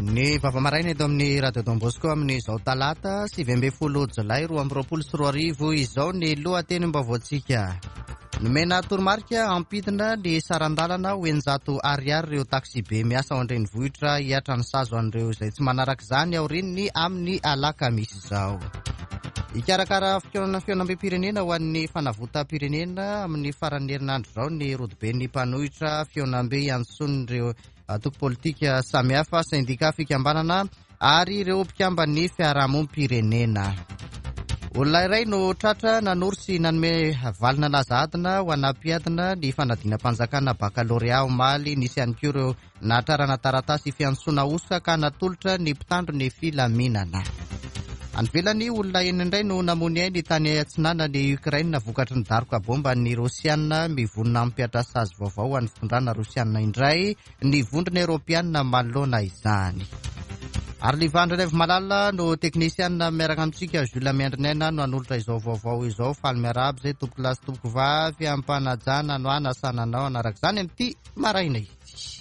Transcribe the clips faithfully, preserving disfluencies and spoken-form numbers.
Ny vava maraina eto amin'ny Radio Don Bosco amin'izao talata sivy ambin'ny folo jolay roa amby roapolo sy roa arivo izao ny lohatenim-baovaontsika. Nomena toromarika hampidina ny saran-dalana ho eninjato ariary ireo taksibe miasa ao an-drenivohitra hihatra ny sazy ho an'ireo izay tsy manaraka izany aorian'ny amin'ny alakamisy izao. Hikarakara fihaonana fihaonambem-pirenena ho an'ny fanavotam-pirenena amin'ny faran'ny herinandro izao ny rodoben'ny mpanohitra fihaonambe iantsoan'ireo antoko politika samihafa, sendika, fikambanana ary ireo mpikamban'ny fiarahamonim-pirenena. Olona iray no tratra nanoro sy nanome valina laza adina ho ana mpiadina ny fanadinam-panjakana bakalorea omaly. Nisy ihany koa ireo nahatrarana taratasy fiantsoana hosoka ka natolotra ny mpitandro ny filaminana. Any ivelany, olona enina indray no namoy ny ainy tany atsinanan'i Ukraine vokatry ny daroka bomba ny Rosiana. Mivonona hampihatra sazy vaovao ho an'ny fitondrana Rosiana indray ny vondrona Eoropeana manoloana izany. Ary Livandra Raivomalala no teknisiana miaraka amintsika. Jules Miandrinaina no hanolotra izao vaovao izao. Faly miarahaba izay tompoko lahy sy tompoko vavy ampanajana no anasana anao hanaraka izany amin'ity maraina ity.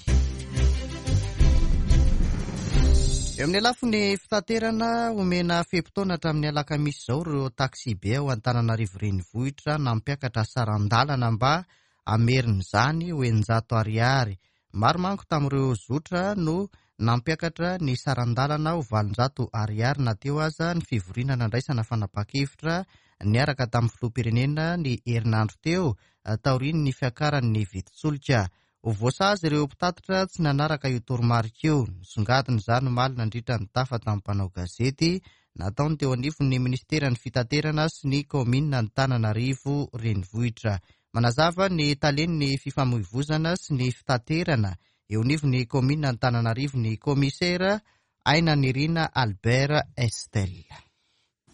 Eo amin'ny lafiny fitaterana, omena fe-potoana hatramin'ny alakamisy izao ireo taksibe ao Antananarivo renivohitra nampiakatra saran-dalana mba hamerina izany ho eninjato ariary. Maro manko tamin'ireo zotra no nampiakatra ny saran-dalana ho valonjato ariary na teo aza ny fivoriana nandraisana fanapahan-kevitra niaraka tamin'ny filoham-pirenena ny herinandro teo taorian'ny fiakaran'ny vidin-tsolika. Ho voasazy ireo mpitatitra tsy nanaraka io toromarika io. Nisongadina izany omaly nandritra ny tafa tamin'ny mpanao gazety nataony teo anivon'ny ministeran'ny fitaterana sy ny kaominina Antananarivo renivohitra. Manazava ny talen'ny fifamoivozana sy ny fitaterana eo anivon'ny kaominina Antananarivo ny kaomisera Ainanirina Albert Estelle.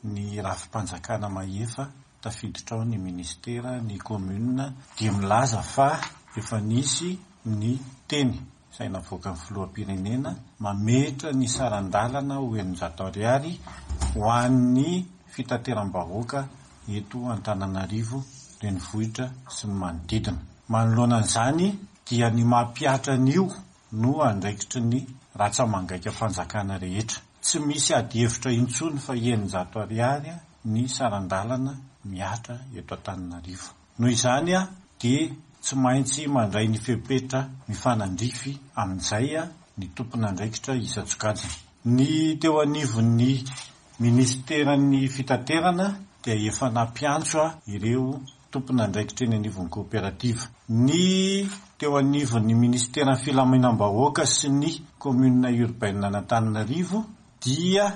Ny rafi-panjakana mahefa tafiditra ao ny ministera, ny kaominina dia milaza fa efa nisy ny teny izay navoakan'ny filoham-pirenena mametra ny saran-dalana ho eninjato ariary ho an'ny fitateram-bahoaka eto Antananarivo renivohitra sy ny manodidina. Manoloana an'izany dia ny mampihatra an'io no andraikitry ny ratsa-mangaika-panjakana rehetra. Tsy misy adihevitra intsony fa eninjato ariary ny saran-dalana mihatra eto Antananarivo. Noho izany dia tsy maintsy mandray ny fepetra mifanandrify amin'izay ny tompon'andraikitra isan-tsokajiny. Ny teo anivon'ny ministeran'ny fitaterana dia efa nampiantso ireo tompon'andraikitra eny anivon'ny kooperativa. Ny teo anivon'ny ministeran'ny filaminam-bahoaka sy ny commune urbaine an'Antananarivo dia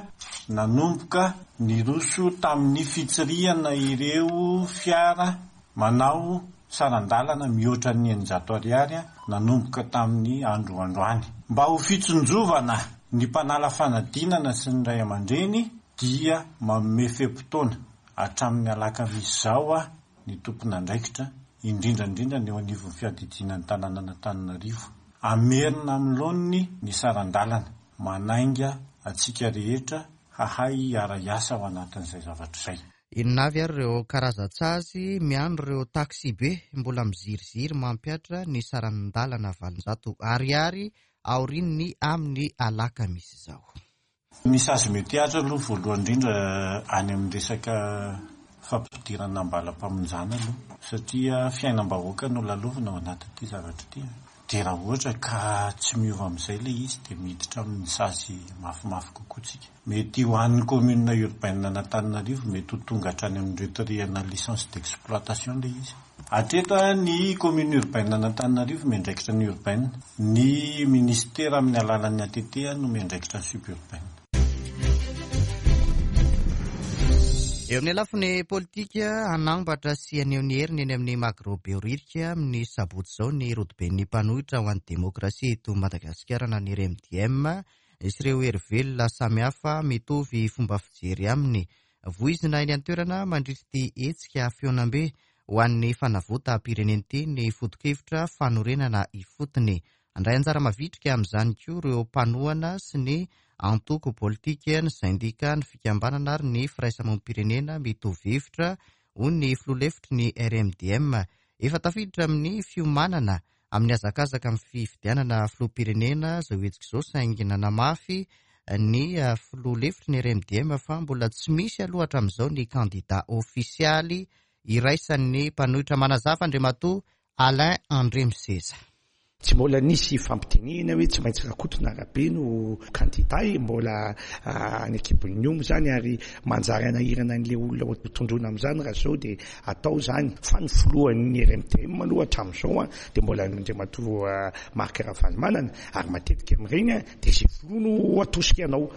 nanomboka niroso tamin'ny fitsirihana ireo fiara manao saran-dalana mihoatra ny eninjato ariary nanomboka tamin'ny andro androany. Mba ho fitsinjovana ny mpanala fanadinana sy ny ray aman-dreny dia manome fe-potoana hatramin'ny alakamisy izao ny tompon'andraikitra, indrindra indrindra ny eo anivon'ny fiadidiana ny tanànan'Antananarivo. Hamerina amin'ny laoniny ny saran-dalana, manainga antsika rehetra hahay hiara-hiasa ao anatin'izay zavatra izay. Inona avy ary ireo karazan-tsazy miandry ireo taksibe mbola miziriziry mampihatra ny saran-dalana valonjato ariary aorian'ny amin'ny alakamisy izao? Ny sazy mety hihatra aloha voalohany indrindra any amin'ny resaka fampidirana ambalam-pamonjana aloha, satria fiainam-bahoaka no lalovina ao anatin'ity zavatra ity. Dia raha ohatra ka tsy miova amin'izay ilay izy dia miditra amin'ny sazy mafimafy kokoa tsika. Mety ho an'ny commune urbaine an'Antananarivo mety ho tonga hatrany amin'ny retirena licence d'exploitation ilay izy. Hatreto ny commune urbaine an'Antananarivo miandraikitra ny urbaine, ny ministera amin'ny alalan'ny A T T no miandraikitra ny suburbaine. Eo amin'ny lafiny politika, hanambatra sy haneho ny heriny eny amin'ny Magro Behoririka amin'ny sabotsy izao ny rodoben'ny mpanohitra ho an'ny demokrasia eto Madagasikara na ny R M D M sy ireo hery velona samihafa mitovy fomba fijery aminy. Voizina eny an-toerana mandritra ity hetsika fihaonambe ho an'ny fanavotam-pirenena ity ny foto-kevitra fanorenana ifotony. Handray anjara mavitrika amin'izany koa ireo mpanohana sy ny antoko politika, ny sendika, ny fikambanana ary ny firaisamonim-pirenena mitovy hevitra, hoy ny filoha lefitry ny R M D M. Efa tafiditra amin'ny fiomanana amin'ny hazakazaka amin'ny fifidianana filoham-pirenena izao hetsika izao, saingy nanamafy ny filoha lefitry ny R M D M fa mbola tsy misy aloha hatramin'izao ny kandida ofisialy iraisan'ny mpanohitra. Manazava Andriamatoa Alain Andriamiseza. Tsy mbola nisy fampitenena hoe tsy maintsy Rakoto na Rabe no kandida e, mbola any ankibon'ny omby zany, ary manjary anahirana an'ilay olona ho tondroina amin'izany raha zao dia atao zany. Fa ny filohan'ny R M D M aloha hatramin'izao a dia mbola Andriamatoa Marc Ravalomanana, ary matetika amin'ireny a dia izay filoha no atosika anao.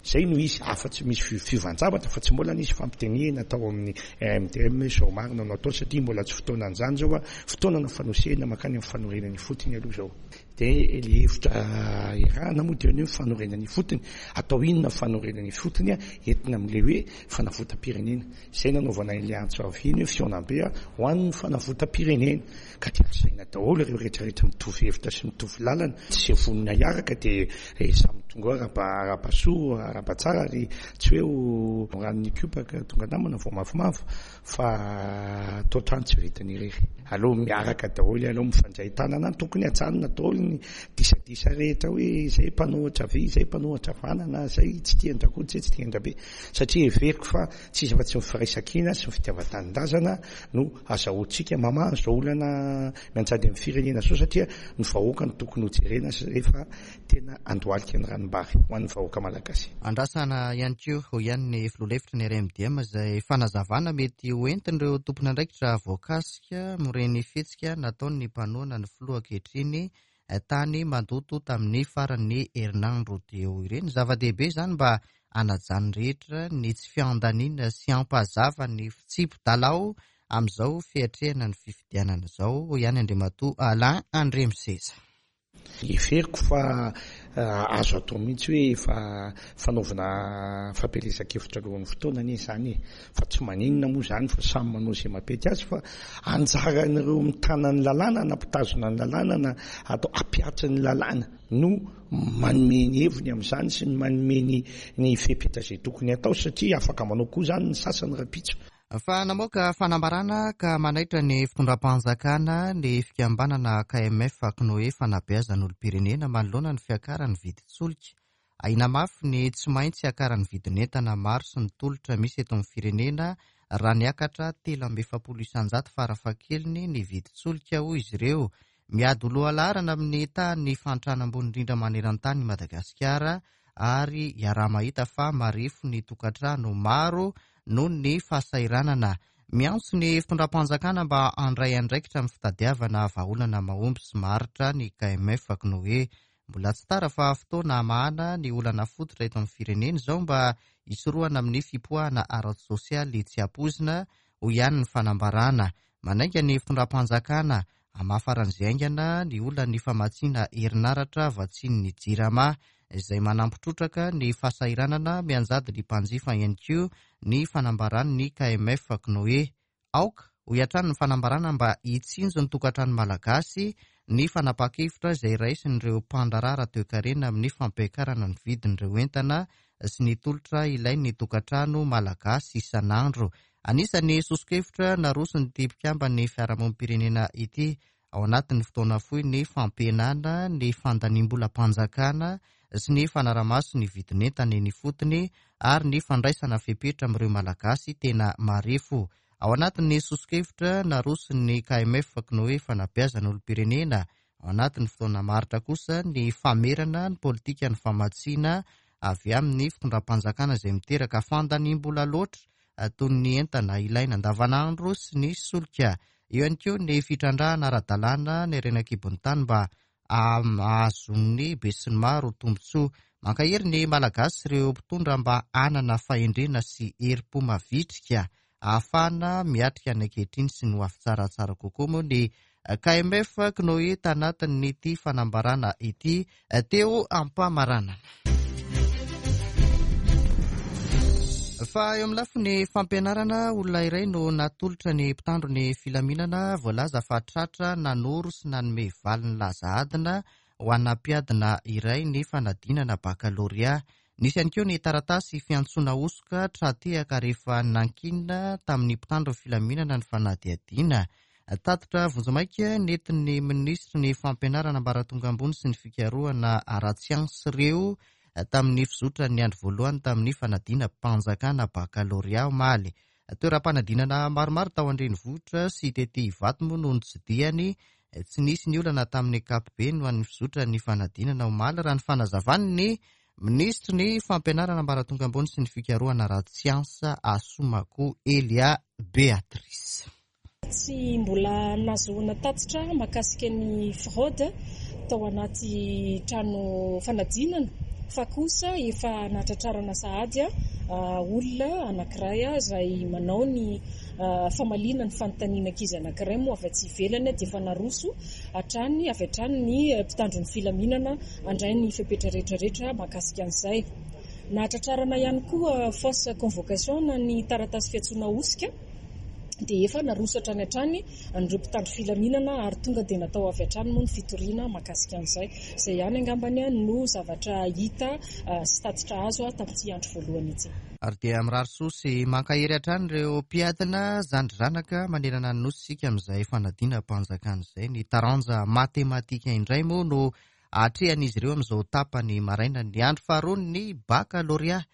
Zay no izy, afa-tsy misy fi-, fiovan-javatra, fa tsy mbola nisy fampitenena tao amin'ny R M D M hoe zao marina no atao, satria mbola tsy fotoana an'izany zao a, fotoana na fanosehana mankany amin'ny fanorenana ifotony aloha zao. Dia le hevitra iarahana moa dia ny hoe fanorenana ifotony. Atao inona fanorenana ifotony a? Entina amin'ilay hoe fanavotam-pirenena. Izay nanaovana ilay antso avy iny hoe fihaonambe a ho an'ny fanavotam-pirenena. Ka dia asaina daholo ireo rehetrarehetra mitovy hevitra sy mitovy lalana. Tsy izay vonona hiaraka dia samy tonga ao araba, araba soa, araba tsara, ary tsy hoe ho ranon'ny kopaka tonga namana vao mafimafy, fa atao trano tsy vitany irery. Aleo miaraka daholo, aleo mifandray tanana, tokony hajanona daholo ny disadisa rehetra hoe izay mpanohitra havia, izay mpanohitra havanana, izay tsy tia an-dRakoto, izay tsy tia an-dRabe, satria heveriko fa tsy izy afa-tsy ny firaisankina sy ny fitiavan-tanindrazana no azahoantsika mamaha izao olana mianjady amin'ny firenena izao, satria ny vahoaka no tokony hojerena rehefa tena andohalika ny ranombary ho an'ny vahoaka malagasy. Andrasana ihany koa ho ihany ny filoha lefitry ny R M D M izay fanazavana mety ho entin'ireo tompon'andraikitra voakasika amin'ireny fihetsika nataon'ny mpanohana ny filoha ankehitriny tany Mandoto tamin'ny faran'ny herinandro teo ireny. Zava-dehibe izany mba hanajan'ny rehetra ny tsy fiandaniana sy hampazava ny fitsipi-dalao amin'izao fiatrehana ny fifidianana izao, hoy ihany Andriamatoa Alain Andriamiseza. Heveriko fa azo atao mihitsy hoe efa fanaovana fampielezan-kevitra alohan'ny fotoana anie izany e. Fa tsy maninona moa izany fa samy manao izay mampety azy, fa anjaran'ireo mitana ny lalàna na mpitazona ny lalàna na atao hampihatry ny lalàna no manome ny heviny amin'izany sy ny manome ny, ny fepetra izay tokony atao, satria afaka manao koa izany ny sasany rahampitso. Fa namoaka fanambarana ka manaitra ny fitondram-panjakana ny fikambanana K M F Cnoe fanabeazan'olom-pirenena manoloana ny fiakaran'ny vidin-tsolika. Ahiana mafy ny tsy maintsy hiakaran'ny vidin'entana maro sy ny tolotra misy eto amin'ny firenena raha niakatra telo amby efapolo isanjato farafahakeliny ny vidin-tsolika, hoy izy ireo. Miady ho lohalaharana amin'ny tahan'ny fahantrana ambony indrindra maneran-tany i Madagasikara, ary iaraha-mahita fa marefo ny tokantrano maro noho ny fahasahiranana. Miantso ny fitondram-panjakana mba handray andraikitra amin'ny fitadiavana vahaolana mahomby sy maharitra ny K M F Cnoe. Mbola tsy tara fa fotoana hamahana ny olana fototra eto amin'ny firenena izao mba hisorohana amin'ny fipoahana ara-tsosialy tsy ampoizina, hoy ihany ny fanambarana. Manainga ny fitondram-panjakana hamaha faran'izay haingana ny olan'ny famatsiana herinaratra vatsian'ny Jirama, izay manampy trotraka ny fahasahiranana mianjady ny mpanjifa ihany koa ny fanambaran'ny K M F Cnoe. Aoka hoy hatrany ny fanambarana mba hitsinjo ny tokantrano malagasy ny fanapahan-kevitra izay raisin'ireo mpandraharaha toekarena amin'ny fampiakarana ny vidin'ireo entana sy ny tolotra ilain'ny tokantrano malagasy isan'andro. Anisan'ny soso-kevitra naroson'ity mpikamban'ny fiarahamonim-pirenena ity ao anatin'ny fotoana fohy ny fampihenana ny fandaniam-bolam-panjakana sy ny fanaramaso ny vidin'entana eny ifotony ary ny fandraisana fepetra amin'ireo malagasy tena marefo. Ao anatin'ny soso-kevitra naroson'ny K M F Cnoe fanabeazana olom-pirenena, ao anatin'ny fotoana maharitra kosa ny famerana ny politika ny famatsiana avy amin'ny fitondram-panjakana izay miteraka fandaniam-bola loatra toy ny entana ilaina andavanandro sy ny solika. Eo ihany koa ny fitrandrahana ara-dalàna ny harena an-kibon'ny tany mba hahazoan'ny besinimaro tombontsoa. Mankahery ny Malagasy ireo mpitondra mba hanana fahendrena sy herim-po mavitrika ahafahana miatrika ny ankehitriny sy ny ho avy tsaratsara kokoa moa ny K M F Cnoe tanatin'ity fanambarana ity teo ampamaranana. Fa eo amin'ny lafiny fampianarana, olona iray no natolotra ny mpitandro ny filaminana voalaza fa tratra nanoro sy nanome valiny laza adina ho an'ny mpiadina iray ny fanadinana bakalorea. Nisy ihany koa ny taratasy fiantsoana hosoka tra-tehaka rehefa nankinina tamin'ny mpitandro ny filaminana ny fanadihadiana. Tatitra vonjimaika nentin'ny minisitry ny fampianarana ambaratonga ambony sy ny fikarohana ara-tsiansa ireo tamin'ny fizotran'ny andro voalohany tamin'ny fanadinam-panjakana bakalorea omaly. Toeram-panadinana maromaro tao an-drenivohitra sy tety Ivato moa no notsidihany. Tsy nisy ny olana tamin'ny ankapobeny ho an'ny fizotran'ny fanadinana omaly raha ny fanazavan'ny minisitry ny fampianarana ambaratonga ambony sy ny fikarohana ara-tsiansa Assoumacou Elia Béatrice. Tsy mbola nahazoana tatitra mahakasika ny fraude tao anaty trano fanadinana fa kosa efa nahatratrarana sahady olona anankiray izay manao ny famaliana ny fanontaniana ankizy anankiray moa avy aty ivelany dia efa naroso hatrany avy hatrany ny mpitandro ny filaminana handray ny fepetra rehetrarehetra mahakasika an'izay. Nahatratrarana ihany koa fausse convocation na ny taratasy fiantsoana hosika dia efa naroso hatrany hatrany an'ireo mpitandro filaminana ary tonga dia natao avy hatrany moa ny fitoriana mahakasika an'izay. Izay ihany angambany no zavatra hita sy tatitra azo tamin'ity andro voalohany ity. Ary dia mirary soa sy mankahery hatrany ireo mpiadina zandry zanaka manerana ny nosy isika amin'izay fanadinam-panjakana izay. Ny taranja matematika indray moa no atrehan'izy ireo amin'izao tapany maraina ny andro faharoa ny bakalorea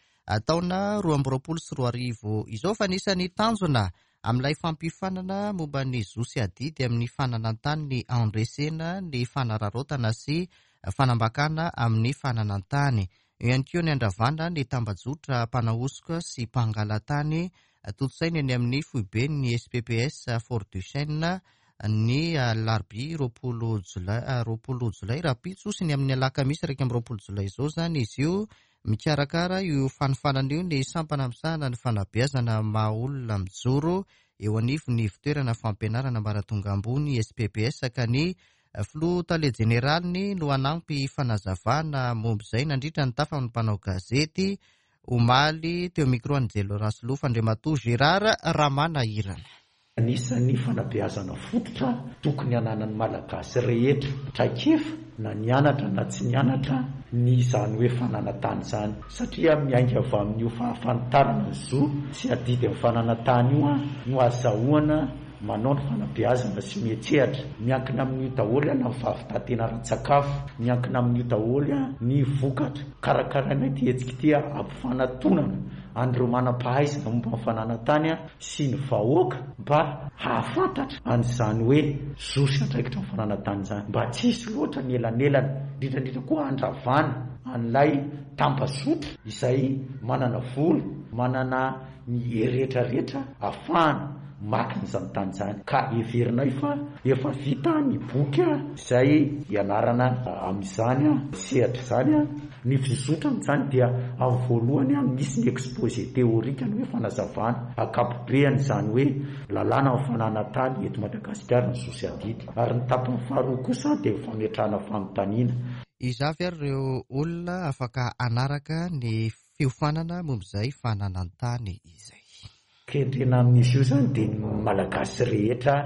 taona roa amby roapolo sy roa arivo izao. Fa anisan'ny tanjona amin'ilay fampiofanana momba ny zo sy adidy amin'ny fananan-tany ny andresena ny fanararaotana sy fanambakana amin'ny fananan-tany. Eo ihany koa ny andravana ny tambajotra mpanahosoka sy mpangalatany tontosaina eny amin'ny foiben'ny S P P S Fort Duchesne ny alarobia roapolo jolay, roapolo jolay rahampitso sy ny amin'ny alakamisy iraika amby roapolo jolay izao izany izy io. Mikarakara io fanofanana io ny sampana misahana ny fanabeazana maha olona mijoro eo anivon'ny fitoerana fampianarana ambaratonga ambony S P P S ka ny filoha tale jeneraliny no hanampy fanazavana momba izay nandritra ny tafa amin'ny mpanao gazety omaly teo micro an'i Jelo Rasolofo Andriamatoa Gérard Ramanahirana. Anisan'ny fanabeazana fototra tokony hananan'ny Malagasy rehetra traikefa na nianatra na tsy nianatra ny izany hoe fananan-tany izany, satria miainga avy amin'io fahafantarana ny zo sy adidy amin'ny fananan-tany io no azahoana manao ny fanabeazana sy mietsehatra. Miankina amin'io daholo na ny fahavitantena ara-tsakafo, miankina amin'io daholo ny vokatra. Karakaraina ity hetsika ity ampifanatonana an'ireo manam-pahaizana momba ny fananan-tany sy ny vahoaka mba hahafantatra an'izany hoe zo sy andraikitra amin'ny fananan-tany izany, mba tsy hisy loatra ny elanelana, indrindra indrindra koa handravana an'ilay tambazotra izay manana vola, manana ny rehetrarehetra ahafahana maka an'izany tany izany. Ka heverinay fa efa vita ny boky izay ianarana amin'izany sehatra izany. Ny fizotrana izany dia amin'ny voalohany misy ny exposé théorique, ny hoe fanazavana ankapobeany izany hoe lalàna amin'ny fananan-tany eto Madagasikara ny zo sy adidy, ary ny tapany faharoa kosa dia fametrahana fanontaniana. Iza avy ary ireo olona afaka hanaraka ny fiofanana momba izay fananan-tany izay? Kendrena amin'izy io izany dia ny Malagasy rehetra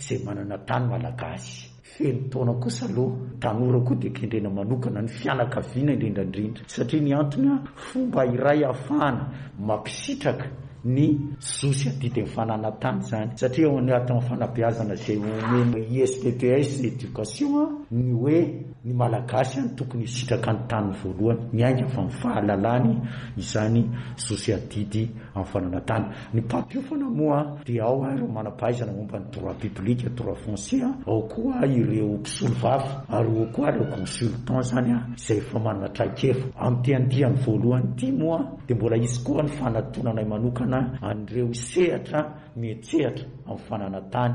izay manana tany malagasy. Feno taona kosa aloha, tanora koa dia kendrena manokana ny fianakaviana indrindra indrindra, satria ny antony fomba iray ahafahana mampisitraka ny zo sy adidy amin'ny fananan-tany izany, satria ao anatin'ny fanabeazana izay omena I S P P S éducation ny hoe ny Malagasy no tokony hisitraka ny tany voalohany, miainga avy amin'ny fahalalany izany zo sy adidy amin'ny fananan-tany. Ny mpampiofana moa dia ao ireo manam-pahaizana momba ny droit public, droit foncier, ao koa ireo mpisolovava, ary ao koa ireo consultant izany izay efa manana traikefa. Amin'ity andiany voalohany ity moa dia mbola hisy koa ny fanatonanay manokana an'ireo sehatra mietsehatra amin'ny fananan-tany.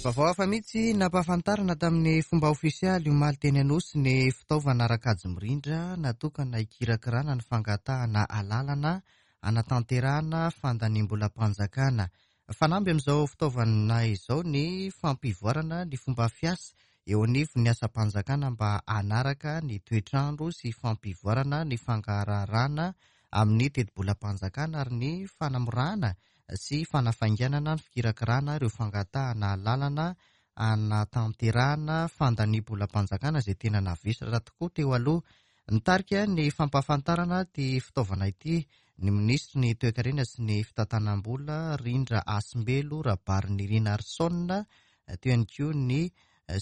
Vaovao hafa mihitsy nampahafantarana tamin'ny fomba ofisialy omaly teny Anosy ny fitaovana ara-kajy mirindra natokana hikirakirana ny fangatahana alalana hanatanterahana fandaniam-bolam-panjakana. Fanamby amin'izao fitaovana izao ny fampivoarana ny fomba fiasa eo anivon'ny asam-panjakana mba hanaraka ny toetrandro sy fampivoarana ny fangarahana amin'ny tetibolam-panjakana ary ny fanamorana sy fanafainganana ny fikirakirana ireo fangatahana alalana hanatanterahana fandaniam-bolam-panjakana izay tena navesatra tokoa teo aloha. Nitarika ny fampahafantarana ity fitaovana ity ny minisitry ny toekarena sy ny fitantanam-bola Rindra Hasimbelo Rabarinirina Arson, teo ihany koa ny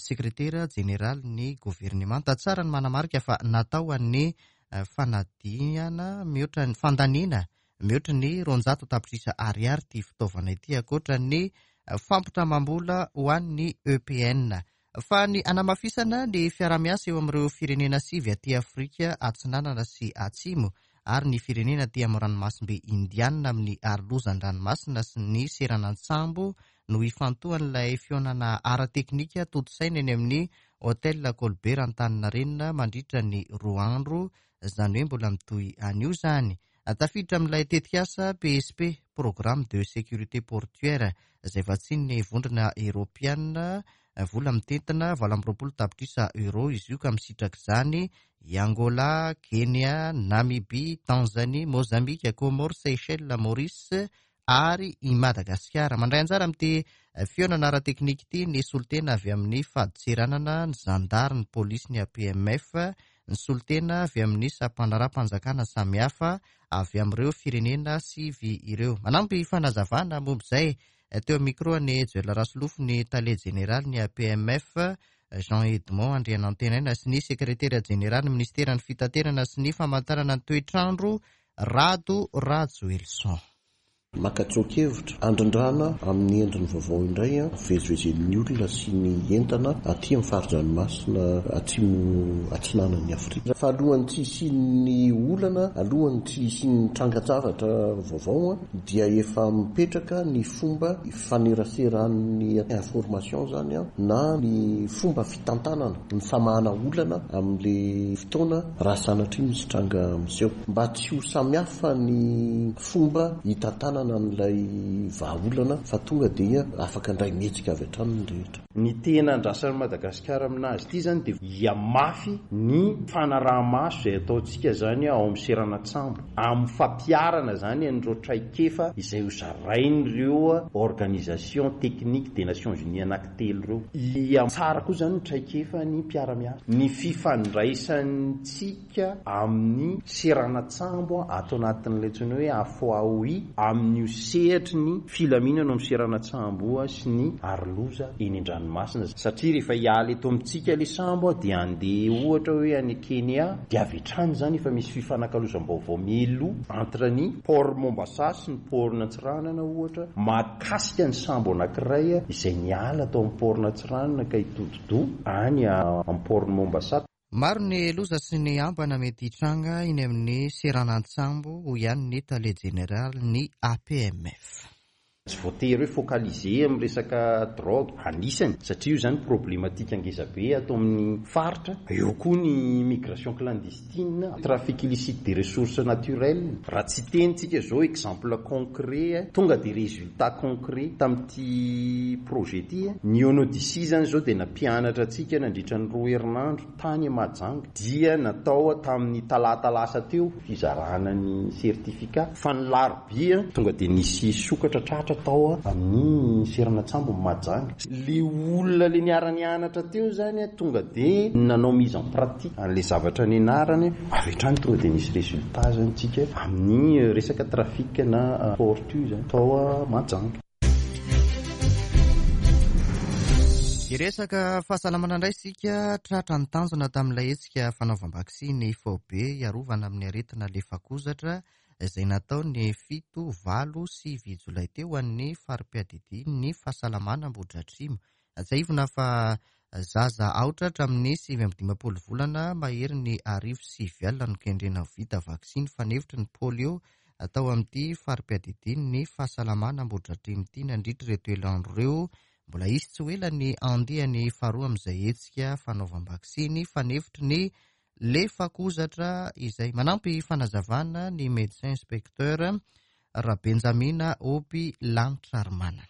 sekretera jeneraly ny governemanta. Tsara ny manamarika fa natao an'ny fanadiana mihoatra ny fandaniana mihoatra ny roanjato tapitrisa ariary ity fitaovana ity, ankoatra ny fampitramam-bola ho an'ny E P N. Fa ny anamafisana ny fiarahamiasa eo amin'ireo firenena sivy aty Afrika Atsinanana sy Atsimo ary ny firenena aty amin'ny ranomasimbe Indiana amin'ny arolozan-dranomasina sy ny seranan-tsambo no ifantohan'ilay fihaonana ara-teknika tontosaina eny amin'ny Hôtel Colbert Antaninarenina mandritra ny roa andro, izany hoe mbola mitohy anio izany. Tafiditra amin'ilay tetikasa P S P, Programme de Sécurité Portuaire, izay vatsian'ny vondrona Eoropeana, vola mitentina valo amby roapolo tapitrisa euro izy io, ka misitraka izany i Angola, Kenya, Namibia, Tanzania, Mozambika, Comores, Seychelles, Maurice ary i Madagasikara. Mandray anjara amin'ity fihaonana ara-teknika ity ny solontena avy amin'ny fadintseranana, ny zandary, ny polisy, ny A P M F, ny solontena avy amin'ny sampandraharaham-panjakana samihafa avy amin'ireo firenena sivy ireo. Manampy fanazavana momba izay teo amin'ny micro ny Joël Rasolofo, ny tale jeneraly ny A P M F, Jean Edmond Andrianantenaina sy ny sekretera jeneraly ny ministeran'ny fitaterana sy ny famantarana ny toetrandro Rado Rajoelison. Maka tsoa-kevitra andrindrana amin'ny endriny vaovao indray a, fivezivezen'ny olona sy ny entana aty amin'ny fari-dranomasina atsimo atsinanan'ny Afrika. Fa alohan'ny tsy hisian'ny olana, alohan'ny tsy hisian'ny trangan-javatra vaovao a, dia efa mipetraka ny fomba ifaneraseran'ny information zany a, na ny fomba fitantanana, ny famahana olana amin'le fotoana raha sanatria misy tranga miseho. Mba tsy ho samihafa ny fomba hitantanana an'ilay vahaolana fa tonga dia afaka handray mihetsika avy hatrany ny rehetra. Ny tena andrasan'i Madagasikara aminazy ity zany dia hihamafy ny fanaraha-maso izay ataontsika zany ao amin'ny seranan-tsambo, amin'ny fampiharana zany an'ireo traikefa izay ho zarain'ireo organisation technique des Nations Unies anankitelo ireo. Hihatsara koa zany ny traikefa ny mpiara-miasa, ny fifandraisantsika amin'ny seranan-tsambo ato anatin'ilay antsoina hoe A F A O I, amin'io sehatry ny filaminana amin'ny seranan-tsambo sy ny aroloza eny an-dranomasina, satria rehefa hiala eto amintsika ilay sambo dia handeha ohatra hoe any Kenya, dia avy hatrany zany efa misy fifanakalozam-baovao mialoha entre ny port Mombasa sy ny port Antsiranana ohatra, mahakasika ny sambo anankiray izay niala tao amin'ny port Antsiranana ka hitodi-doha any amin'ny port Mombasa. Maro ny loza sy ny ambana mety hitranga eny amin'ny seranan-tsambo, hoy ihany ny tale jeneraly ny A P M F. Tsy voatery hoe focaliser amin'ny resaka drogue anisany, satria io zany problématique ngeza be ato amin'ny faritra. Eo koa ny migration clandestine, trafic illicite des ressources naturelles. Raha tsy tenitsika zao exemple concret, tonga des résultats concrets tamin'ity projet ity. Ny O N D C zany zao dia nampianatra antsika nandritra ny roa herinandro tany Mahajanga, dia natao tamin'ny talata lasa teo fizarana ny certificat, fa ny larobia tonga dia nisy sokatra tratra tao amin'ny seranan-tsambo Mahajanga. Le olona le niara-nianatra teo zany tonga dia nanao mise en pratique an'le zavatra nianarany, avy hatrany tonga dia nisy résultat zany tsika amin'ny resaka trafic na tortue zany tao Mahajanga. Hiresaka fahasalamana indray isika. Tratra ny tanjona tamin'ilay hetsika fanaovam-baksiny faobe hiarovana amin'ny aretina lefakozatra izay natao ny fito valo sivy jolay teo an'ny fari-piadidian'ny fahasalamana Ambohidratrimo. Tsiahivina fa zaza aotra hatramin'ny sivy amby dimampolo volana mahery ny arivo sivy alina no kendrena ho vita vaksiny fanefitry ny polio atao amin'ity fari-piadidian'ny fahasalamana Ambohidratrimo ity nandritra ireto herinandro ireo. Mbola hisy tsy ho ela ny andiany faharoa amin'izay hetsika fanaovam-baksiny fanefitry ny lefakozatra izay manampy fanazavana ny médecin inspecteur Rabenjamina Oby Lanitra Armanana.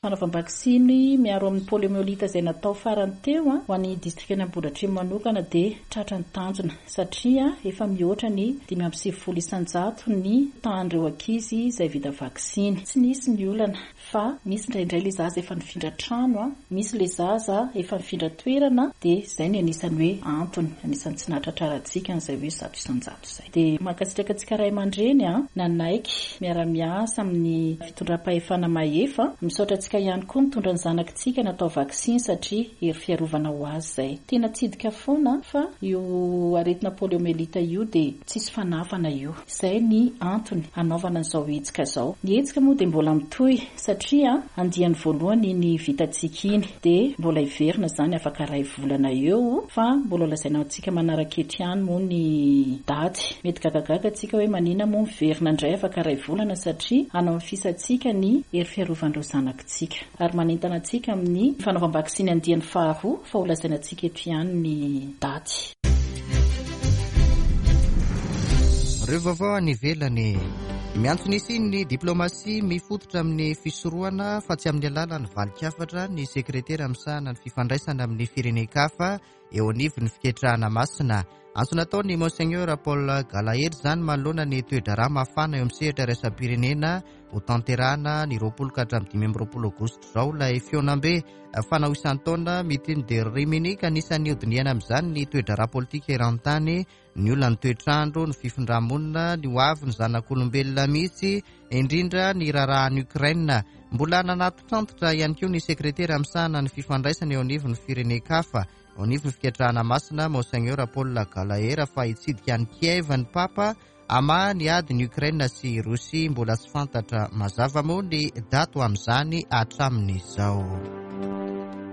Fanaovam-baksiny miaro amin'ny poliomyélite izay natao farany teo ho an'ny distrikan'Ambohidratrimo manokana dia tratra ny tanjona satria efa mihoatra ny dimy amby sivifolo isan-jato ny tahan'ireo ankizy izay vita vaksiny. Tsy nisy ny olana fa misy indraindray ilay zaza efa nifindra trano, misy ilay zaza efa nifindra toerana, dia izay ny anisan'ny hoe antony, anisan'ny tsy nahatratrarantsika an'izay hoe zato isan-jato izay. Dia mankasitraka antsika ray aman-dreny nanaiky miara-miasa amin'ny fitondram-pahefana mahefa. Misaotra antsika ihany koa mitondra ny zanakitsika natao vaksiny satria hery fiarovana ho azy izay. Tena tsidika foana fa io aretina poliomyélite io dia tsisy fanafana io. Izay ny antony hanaovana an'izao hetsika izao. Ny hetsika moa dia mbola mitohy satria andiany voalohany iny vitantsika iny dia mbola hiverina izany afaka iray volana eo, fa mbola lazaina antsika manaraka eto ihany moa ny daty. Mety gagagaga antsika hoe manina moa miverina indray afaka iray volana satria hanao ny fisantsika ny hery fiarovan'ireo zanakitsika. Ary manentana antsika amin'ny fanaovam-baksiny andiany faharoa fa ho lazaina antsika eto ihany ny daty. Ireo vaovao any ivelany. Miantso ny hisian'ny diplomasia mifototra amin'ny fisorohana fa tsy amin'ny alalan'ny valin-kafatra ny sekretera misahana ny fifandraisana amin'ny firenen-kafa eo anivon'ny fiketrahana masina. Antso nataon'ny Monseigneur Paul Gallagher izany manoloana ny toe-draharaha mafana eo amin'ny sehatra iraisam-pirenena ho tanterahana ny roapolo ka hatramin'ny dimy amby roapolo aogositra izao ilay fihaonambe fanao isan-taona Meeting de Rimini, ka anisan'ny hodinihana amin'izany ny toe-draharaha politika eran-tany, ny olan'ny toetrandro, ny fifindramonina, ny hoavy ny zanak'olombelona mihitsy, indrindra ny raharahan'i Ukraine. Mbola nanatitrantitra ihany koa ny sekretera misahana ny fifandraisana eo anivon'ny firenen-kafa eo anivon'ny fiketrahana masina Monseigneur Paul Gallagher fa hitsidika an'i Kiev ny Papa hamaha ny adin'i Ukraine sy Rosia. Mbola tsy fantatra mazava moa ny daty ho amin'izany hatramin'izao.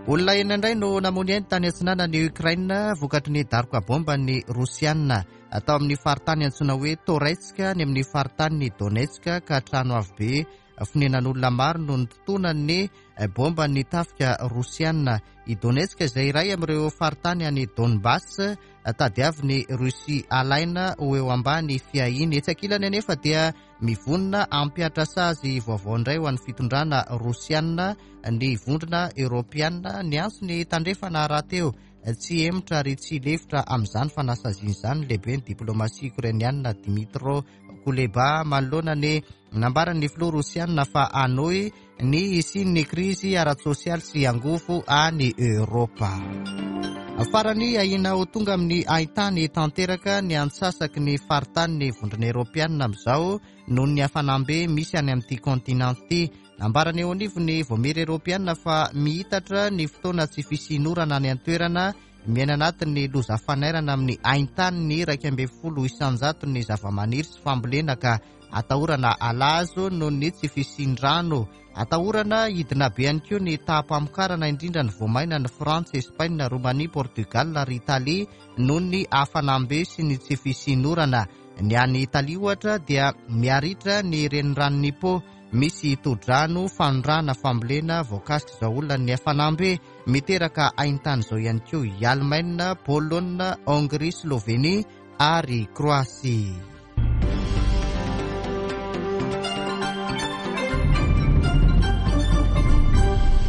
Olona enina indray no namoy ainy tany atsinanan'i Ukraine vokatry ny daroka bomba ny Rosiana atao amin'ny faritany antsoina hoe Toretsk any amin'ny faritany Donetsk, ka trano avo be fonenan'olona maro no nitotonan'ny bomba ny tafika Rosiana. I Donetsk izay iray amin'ireo faritany any Donbass tadiavin'ny Rosia alaina ho eo ambany fiahiany. Etsy ankilany anefa dia mivonona hampiatra sazy vaovao indray ho an'ny fitondrana Rosiana ny vondrona Eoropeana. Niantso ny tandrefana rahateo tsy hemotra ary tsy lefitra amin'izany fanasaziana izany lehibe ny diplomasia ukrainiana Dmytro Kuleba manoloana ny nambaran'ny filoha Rosiana fa hanohy ny hisian'ny krizy ara-tsosialy sy angovo any Eoropa. Farany, ahiana ho tonga amin'ny haintany tanteraka ny antsasaky ny faritany vondrona Eoropeana amin'izao noho ny hafanam-be misy any amin'ity kontinanta ity. Nambarany eo anivon'ny Vaomiera Eoropeana fa mihitatra ny fotoana tsy fisian'orana any an-toerana, miaina anatin'ny loza fanairana amin'ny haintany ny iraika ambin'ny folo isan-jato ny zavamaniry sy fambolena, ka atahorana halazo noho ny tsy fisian-drano. Atahorana hidina be ihany koa ny taham-pamokarana, indrindra ny voamaina ny Frantsa, Espaina, Romania, Portugal ary Italia noho ny hafanam-be sy ny tsy fisian'orana. Ny any Italia ohatra dia miaritra ny reniranon'i Po, misy todrano, fanondrana, fambolena voakasika izao olona ny hafanam-be miteraka haintany izao ihany koa i Allemagne, Pologne, Hongrie, Slovenie ary Croatie.